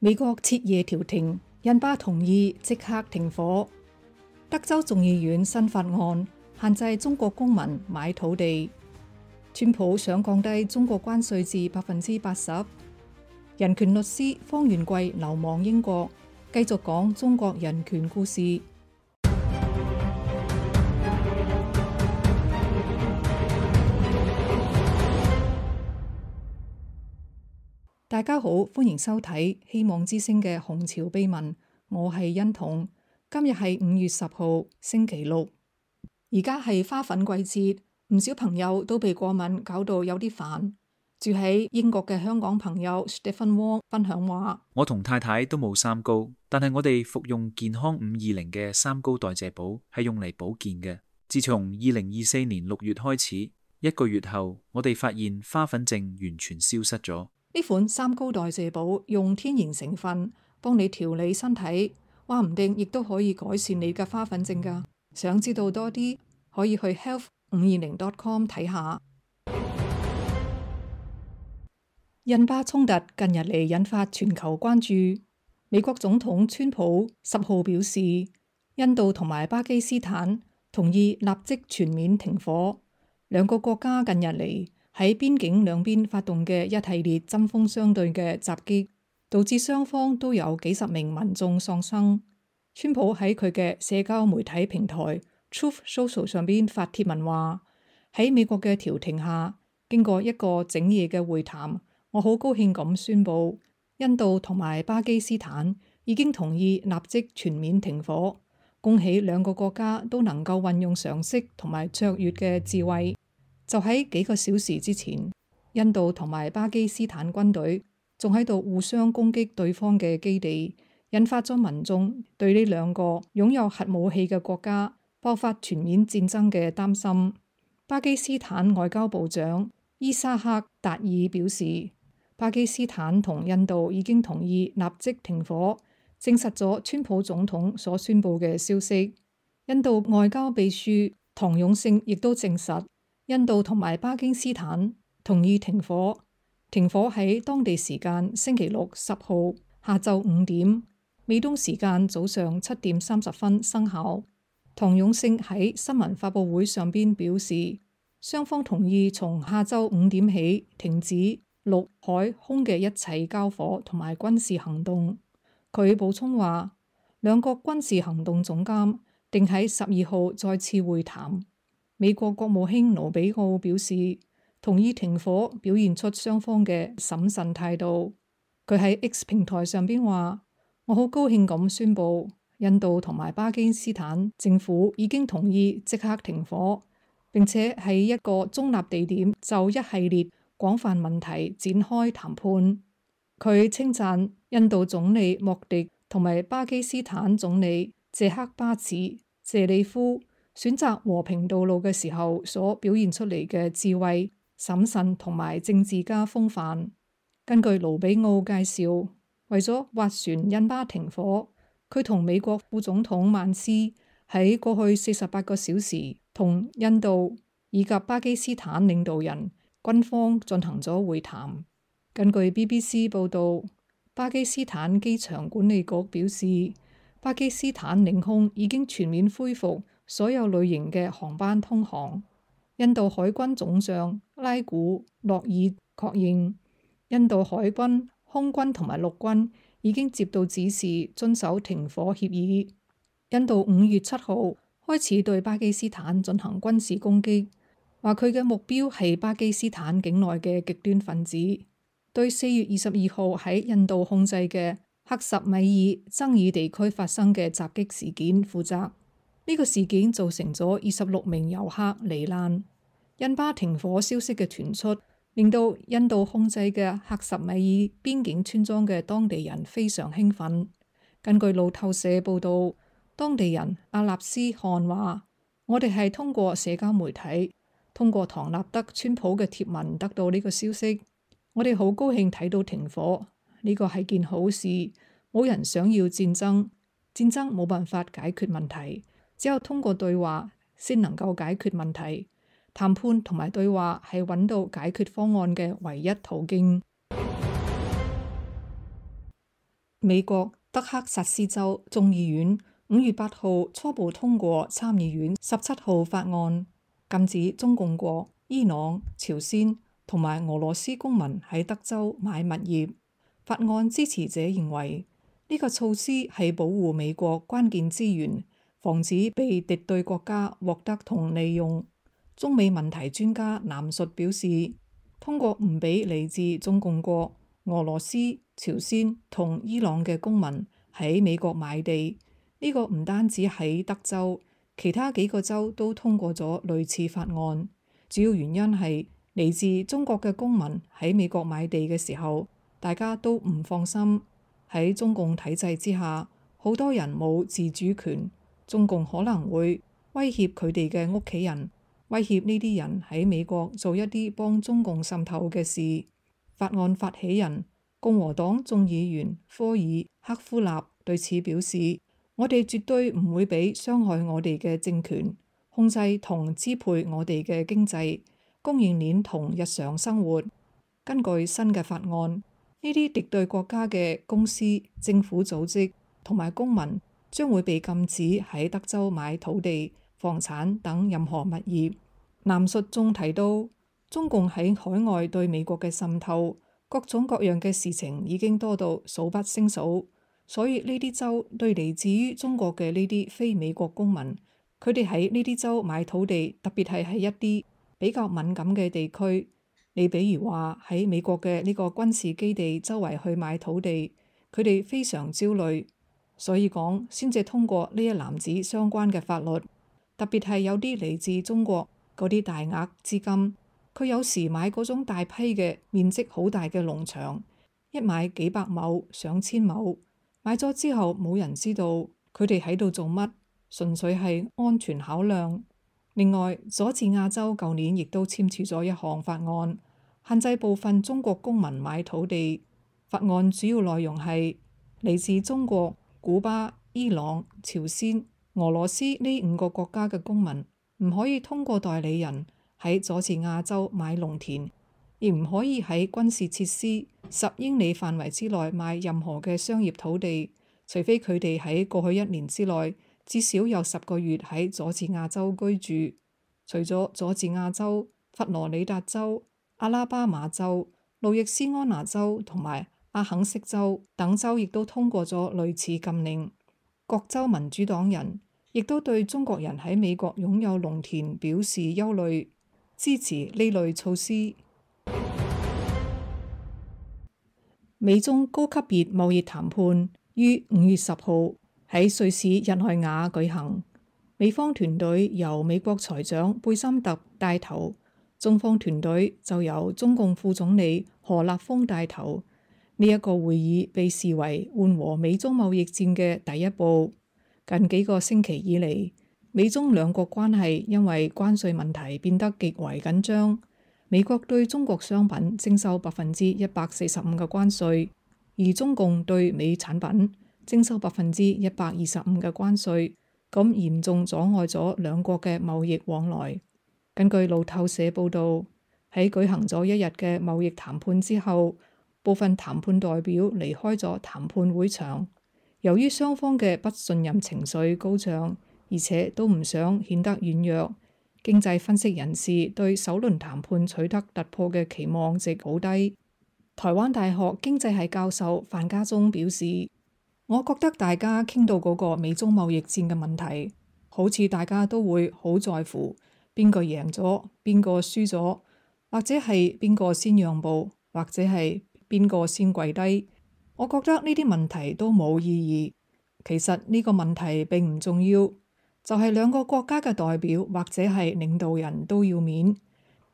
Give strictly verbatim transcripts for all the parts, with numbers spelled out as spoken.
美國徹夜調停，印巴同意即刻停火。德州眾議院新法案限制中國公民買土地。川普想降低中國關稅至百分之八十。人權律師方元貴流亡英國，繼續講中國人權故事。大家好，歡迎收睇希望之聲嘅紅潮秘聞，我係欣彤。今日係五月十號星期六，而家係花粉季節，唔少朋友都被過敏搞到有啲煩。住喺英國嘅香港朋友 Stephen Wong 分享話：我同太太都冇三高，但係我哋服用健康五二零嘅三高代謝寶係用嚟保健嘅。自從二零二四年六月開始，一個月後我哋發現花粉症完全消失咗。呢款三高代謝寶用天然成分幫你調理身體，話唔定亦都可以改善你嘅花粉症㗎。想知道多啲，可以去 health 五二零 dot com 睇下。印巴衝突近日嚟引發全球關注。美國總統川普十號表示，印度同埋巴基斯坦同意立即全面停火。兩個國家近日嚟喺邊境兩邊發動嘅一系列針鋒相對嘅襲擊，導致雙方都有幾十名民眾喪生。川普喺佢嘅社交媒體平台 Truth Social 上邊發帖文話：喺美國嘅調停下，經過一個整夜嘅會談，我好高興咁宣布，印度同埋巴基斯坦已經同意立即全面停火。恭喜兩個國家都能夠運用常識同埋卓越嘅智慧。就喺幾個小時之前，印度同埋巴基斯坦軍隊仲喺度互相攻擊對方嘅基地，引發咗民眾對呢兩個擁有核武器嘅國家爆發全面戰爭嘅擔心。巴基斯坦外交部長伊沙克達爾表示，巴基斯坦同印度已經同意立即停火，證實咗川普總統所宣布嘅消息。印度外交秘書唐勇勝亦都證實，印度同埋巴基斯坦同意停火，停火喺當地時間星期六十號下晝五點，美東時間早上七點三十分生效。唐勇勝喺新聞發佈會上邊表示，雙方同意從下晝五點起停止陸海空嘅一切交火同埋軍事行動。佢補充話，兩國軍事行動總監定喺十二號再次會談。美國國務卿盧比奧表示，同意停火，表現出雙方嘅審慎態度。佢喺 X 平台上邊話：我好高興咁宣布，印度同埋巴基斯坦政府已經同意即刻停火，並且喺一個中立地點就一系列廣泛問題展開談判。佢稱讚印度總理莫迪同埋巴基斯坦總理謝克巴茨謝里夫選擇和平道路嘅時候所表現出嚟嘅智慧、審慎同埋政治家風範。根據盧比奧介紹，為咗斡旋印巴停火，佢同美國副總統曼斯喺過去四十八個小時同印度以及巴基斯坦領導人、軍方進行咗會談。根據 B B C 報導，巴基斯坦機場管理局表示，巴基斯坦領空已經全面恢復所有類型嘅航班通航。印度海軍總將拉古諾爾確認，印度海軍、空軍同埋陸軍已經接到指示，遵守停火協議。印度五月七號開始對巴基斯坦進行軍事攻擊，話佢嘅目標係巴基斯坦境內嘅極端分子，對四月二十二號喺印度控制嘅克什米爾爭議地區發生嘅襲擊事件負責。呢個事件造成咗二十六名遊客罹難。印巴停火消息嘅傳出，令到印度控制嘅克什米爾邊境村莊嘅當地人非常興奮。根據路透社報道，當地人阿納斯汗話：我哋係通過社交媒體，通過唐納德川普嘅貼文得到呢個消息。我哋好高興睇到停火，呢個係件好事。冇人想要戰爭，戰爭冇辦法解決問題。只有通過對話先能夠解決問題，談判同埋對話係揾到解決方案嘅唯一途徑。美國德克薩斯州眾議院五月八號初步通過參議院十七號法案，禁止中共國、伊朗、朝鮮同埋俄羅斯公民喺德州買物業。法案支持者認為呢個措施係保護美國關鍵資源，防止被敵對國家獲得同利用。中美問題專家藍述表示，通過唔俾嚟自中共國、俄羅斯、朝鮮同伊朗嘅公民喺美國買地，呢個唔單止喺德州，其他幾個州都通過咗類似法案。主要原因係嚟自中國嘅公民喺美國買地嘅時候，大家都唔放心。喺中共體制之下，好多人冇自主權，中共可能會威脅佢哋嘅屋企人，威脅呢啲人喺美國做一啲幫中共滲透嘅事。法案發起人共和黨眾議員科爾克夫納對此表示，我哋絕對唔會俾傷害我哋嘅政權控制同支配我哋嘅經濟、供應鏈同日常生活。根據新嘅法案，呢啲敵對國家嘅公司、政府組織同埋公民將會被禁止喺德州買土地、房產等任何物業。藍述仲提到，中共喺海外對美國嘅滲透，各種各樣嘅事情已經多到數不勝數，所以呢啲州對嚟自於中國嘅呢啲非美國公民，佢哋喺呢啲州買土地，特別係喺一啲比較敏感嘅地區，你比如話喺美國嘅呢個軍事基地周圍去買土地，佢哋非常焦慮，所以講先至通過呢一籃子相關嘅法律，特別係有啲嚟自中國嗰啲大額資金。佢有時買嗰種大批嘅面積好大嘅農場，一買幾百畝、上千畝，買咗之後冇人知道佢哋喺度做乜，純粹係安全考量。另外，佐治亞州舊年亦都簽署咗一項法案，限制部分中國公民買土地。法案主要內容係嚟自中國、古巴、伊朗、朝鮮、俄羅斯呢五個國家嘅公民唔可以通過代理人喺佐治亞州買農田，亦唔可以喺軍事設施十英里範圍之內買任何嘅商業土地，除非佢哋喺過去一年之內至少有十個月喺佐治亞州居住。除咗佐治亞州、佛羅里達州、阿拉巴馬州、路易斯安那州同埋阿肯色州等州亦都通過咗類似禁令。各州民主黨人亦都對中國人喺美國擁有農田表示憂慮，支持呢類措施。美中高級別貿易談判於五月十號喺瑞士日內瓦舉行，美方團隊由美國財長貝森特帶頭，中方團隊就由中共副總理何立峰帶頭。呢、這、一個會議被視為緩和美中貿易戰嘅第一步。近幾個星期以嚟，美中兩國關係因為關稅問題變得極為緊張。美國對中國商品徵收百分之一百四十五嘅關稅，而中共對美產品徵收百分之一百二十五嘅關稅，咁嚴重阻礙咗兩國嘅貿易往來。根據路透社報導，喺舉行咗一日嘅貿易談判之後，部分談判代表離開咗談判會場。由於雙方嘅不信任情緒高漲，而且都唔想顯得軟弱，經濟分析人士對首輪談判取得突破嘅期望值好低。台灣大學經濟系教授范家忠表示，我覺得大家傾到嗰個美中貿易戰嘅問題，好似大家都會好在乎邊個贏咗，邊個輸咗，或者係邊個先讓步，或者係邊個先跪低。我覺得呢啲問題都冇意義。其實呢個問題並唔重要，就係兩個國家嘅代表或者係領導人都要面，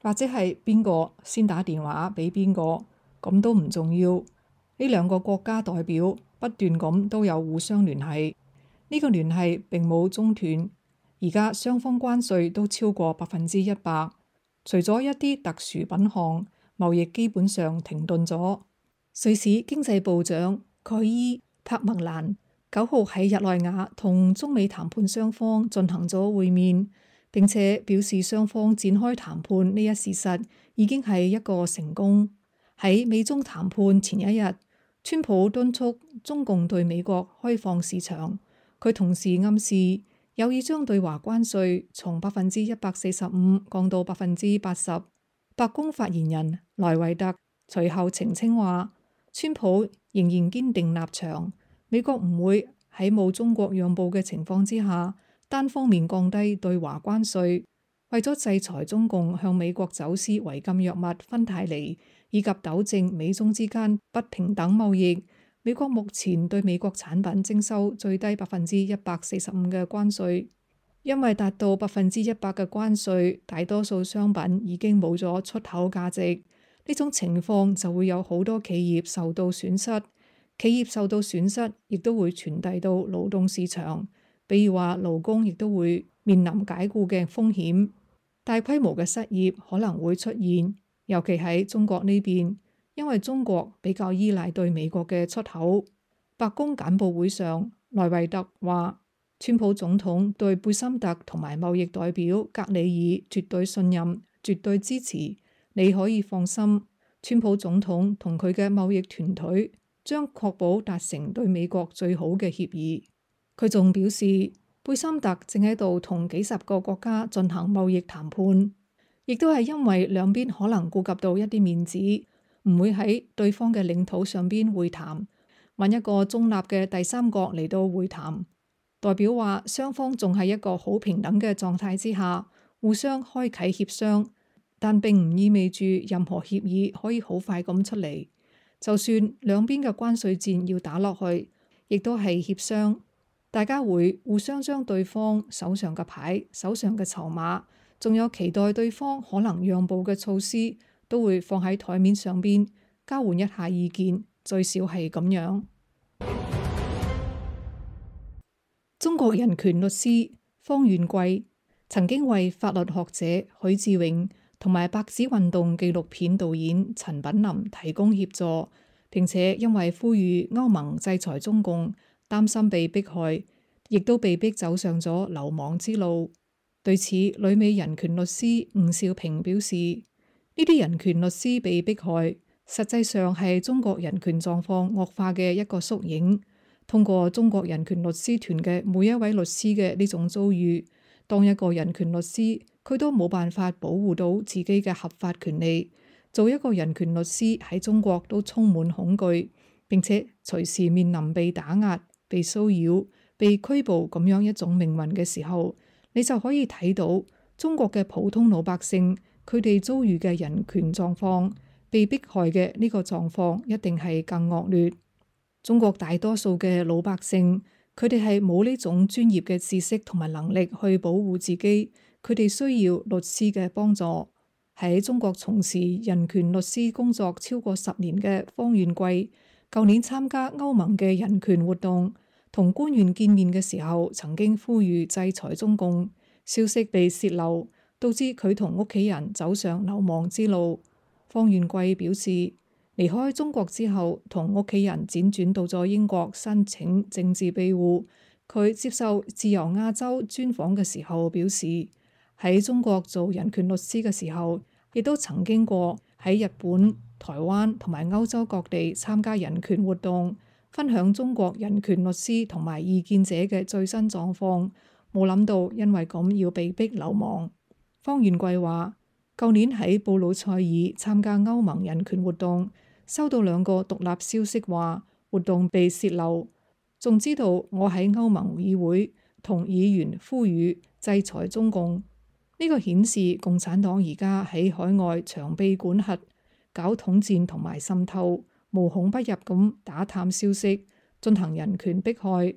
或者係邊個先打電話俾邊個，咁都唔重要。呢兩個國家代表不斷咁都有互相聯繫，呢個聯繫並冇中斷。而家雙方關稅都超過百分之一百，除咗一啲特殊品項，貿易基本上停頓咗。瑞士經濟部長蓋伊帕麥蘭九號喺日內瓦同中美談判雙方進行咗會面，並且表示雙方展開談判呢一事實已經係一個成功。喺美中談判前一日，川普敦促中共對美國開放市場，佢同時暗示有意將對華關稅從百分之一百四十五降到百分之八十。白宮發言人萊維特隨後澄清話，川普仍然堅定立場，美國唔會喺冇中國讓步嘅情況之下單方面降低對華關稅。為咗制裁中共向美國走私違禁藥物芬太尼，以及糾正美中之間不平等貿易，美國目前對美國產品徵收最低百分之一百四十五嘅關稅。因為達到百分之一百嘅關稅，大多數商品已經冇咗出口價值。呢種情況就會有好多企業受到損失，企業受到損失亦都會傳遞到勞動市場，比如話勞工亦都會面臨解僱嘅風險。大規模嘅失業可能會出現，尤其喺中國呢邊，因為中國比較依賴對美國嘅出口。白宮簡報會上，萊維特話，川普總統對貝森特同埋貿易代表格里爾絕對信任、絕對支持，你可以放心，川普總統同佢嘅貿易團隊將確保達成對美國最好嘅協議。佢仲表示，貝森特正喺度同幾十個國家進行貿易談判，亦都係因為兩邊可能顧及到一啲面子，唔會喺對方嘅領土上邊會談，揾一個中立嘅第三國嚟到會談。代表話雙方仲係一個好平等嘅狀態之下，互相開啟協商，但並唔意味住任何協議可以好快咁出嚟。就算兩邊嘅關稅戰要打落去，亦都係協商。大家會互相將對方手上嘅牌、手上嘅籌碼，仲有期待對方可能讓步嘅措施，都會放喺台面上邊交換一下意見，最少係咁樣。中國人權律師方願貴曾經為法律學者許志永同埋白紙運動紀錄片導演陳品林提供協助，並且因為呼籲歐盟制裁中共，擔心被迫害，亦都被逼走上咗流亡之路。對此，旅美人權律師吳兆平表示，呢啲人權律師被迫害，實際上係中國人權狀況惡化嘅一個縮影。通過中國人權律師團嘅每一位律師嘅呢種遭遇，當一個人權律師，佢都冇辦法保護到自己嘅合法權利。做一個人權律師喺中國都充滿恐懼，並且隨時面臨被打壓、被騷擾、被拘捕咁樣一種命運嘅時候，你就可以睇到中國嘅普通老百姓佢哋遭遇嘅人權狀況，被迫害嘅呢個狀況一定係更惡劣。中國大多數嘅老百姓，佢哋係冇呢種專業嘅知識同埋能力去保護自己，佢哋需要律師嘅幫助。喺中國從事人權律師工作超過十年嘅方願貴，舊年參加歐盟嘅人權活動，同官員見面嘅時候，曾經呼籲制裁中共，消息被洩漏，導致佢同屋企人走上流亡之路。方願貴表示，離開中國之後，同屋企人輾轉到咗英國申請政治庇護。佢接受自由亞洲專訪嘅時候表示，喺中國做人權律師嘅時候，亦都曾經過喺日本、台灣同埋歐洲各地參加人權活動，分享中國人權律師同埋異見者嘅最新狀況。冇諗到因為咁要被逼流亡。方願貴話，舊年喺布魯塞爾參加歐盟人權活動，收到兩個獨立消息話活動被洩漏，仲知道我喺歐盟議會同議員呼籲制裁中共。呢個顯示共產黨而家喺海外長臂管轄，搞統戰同埋滲透，無孔不入咁打探消息，進行人權迫害。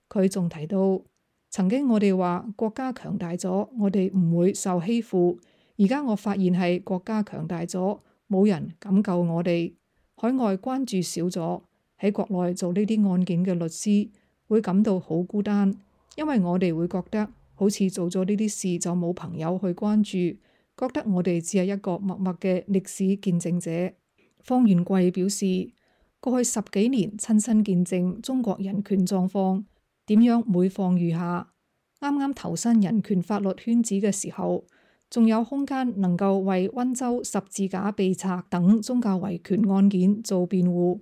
佢仲提到，曾經我哋話國家強大咗，我哋唔會受欺負。而家我發現係國家強大咗，冇人敢救我哋。海外關注少咗，喺國內做呢啲案件嘅律師會感到好孤單，因為我哋會覺得好似做咗呢啲事就冇朋友去關注，覺得我哋只係一個默默嘅歷史見證者。方願貴表示，過去十幾年親身見證中國人權狀況點樣每況愈下。啱啱投身人權法律圈子嘅時候，仲有空間能夠為溫州十字架被拆等宗教維權案件做辯護，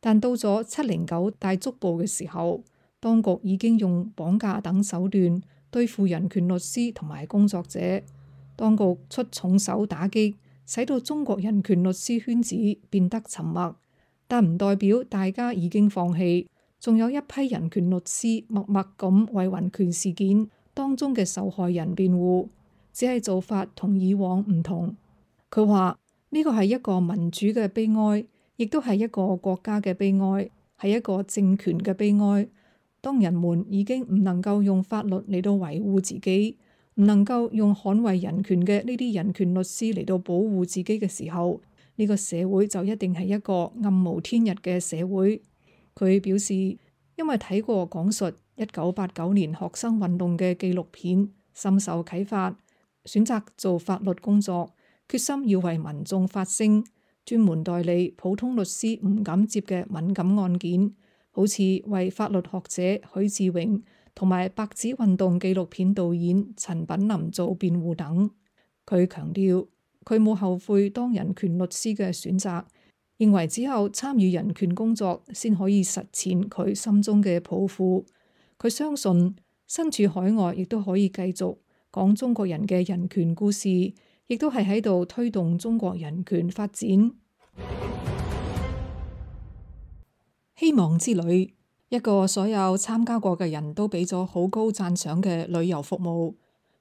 但到咗七零九大捉捕嘅時候，當局已經用綁架等手段對付人權律師同埋工作者。當局出重手打擊，使到中國人權律師圈子變得沉默，但唔代表大家已經放棄。仲有一批人權律師默默咁為人權事件當中嘅受害人辯護，只係做法同以往唔同。佢話呢個係一個民主嘅悲哀，亦都係一個國家嘅悲哀，係一個政權嘅悲哀。當人們已經唔能夠用法律嚟到維護自己，唔能夠用捍衛人權嘅呢啲人權律師嚟到保護自己嘅時候，呢個社會就一定係一個暗無天日嘅社會。佢表示，因為睇過講述一九八九年學生運動嘅紀錄片，深受啟發，選擇做法律工作，決心要為民眾發聲，專門代理普通律師唔敢接嘅敏感案件，好似為法律學者許志榮同埋白紙運動紀錄片導演陳品林做辯護等。佢強調，佢冇後悔當人權律師嘅選擇，認為只有參與人權工作先可以實踐佢心中嘅抱負。佢相信身處海外亦都可以繼續講中國人嘅人權故事，亦都係喺度推動中國人權發展。希望之旅，一個所有參加過嘅人都俾咗好高讚賞嘅旅遊服務，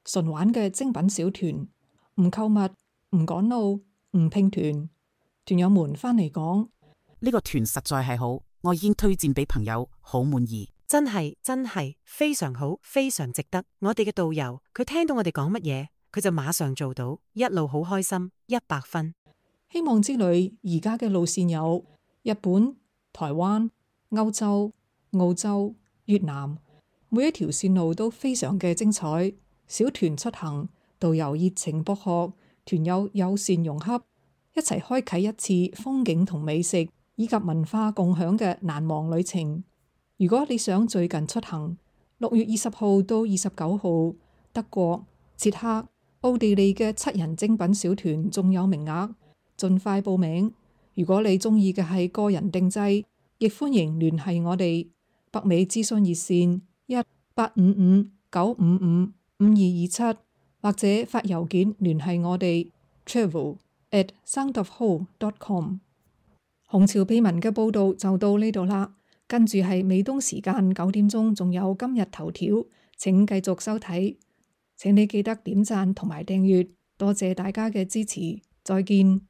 純玩嘅精品小團，唔購物，唔趕路，唔拼團。團友們返嚟講，呢個團實在係好，我已經推薦俾朋友，好滿意。真係真係非常好，非常值得。我哋嘅導遊，佢聽到我哋講乜嘢，佢就馬上做到，一路好開心，一百分。希望之旅而家嘅路線有日本、台灣、歐洲、澳洲、越南，每一條線路都非常嘅精彩。小團出行，導遊熱情博學，團友友善融洽，一齊開啟一次風景同美食以及文化共享嘅難忘旅程。如果你想最近出行，六月二十號到二十九號，德國、捷克、奧地利嘅七人精品小團仲有名額，盡快報名。如果你中意嘅係個人定製，亦歡迎聯繫我哋。北美諮詢熱線一八五五九五五五二二七，或者發郵件聯繫我哋 travel at soundofwhole dot com。紅潮秘聞嘅報道就到呢度啦。跟住係美東時間九點鐘，仲有今日頭條，請繼續收睇。請你記得點讚同埋訂閱，多謝大家嘅支持，再見。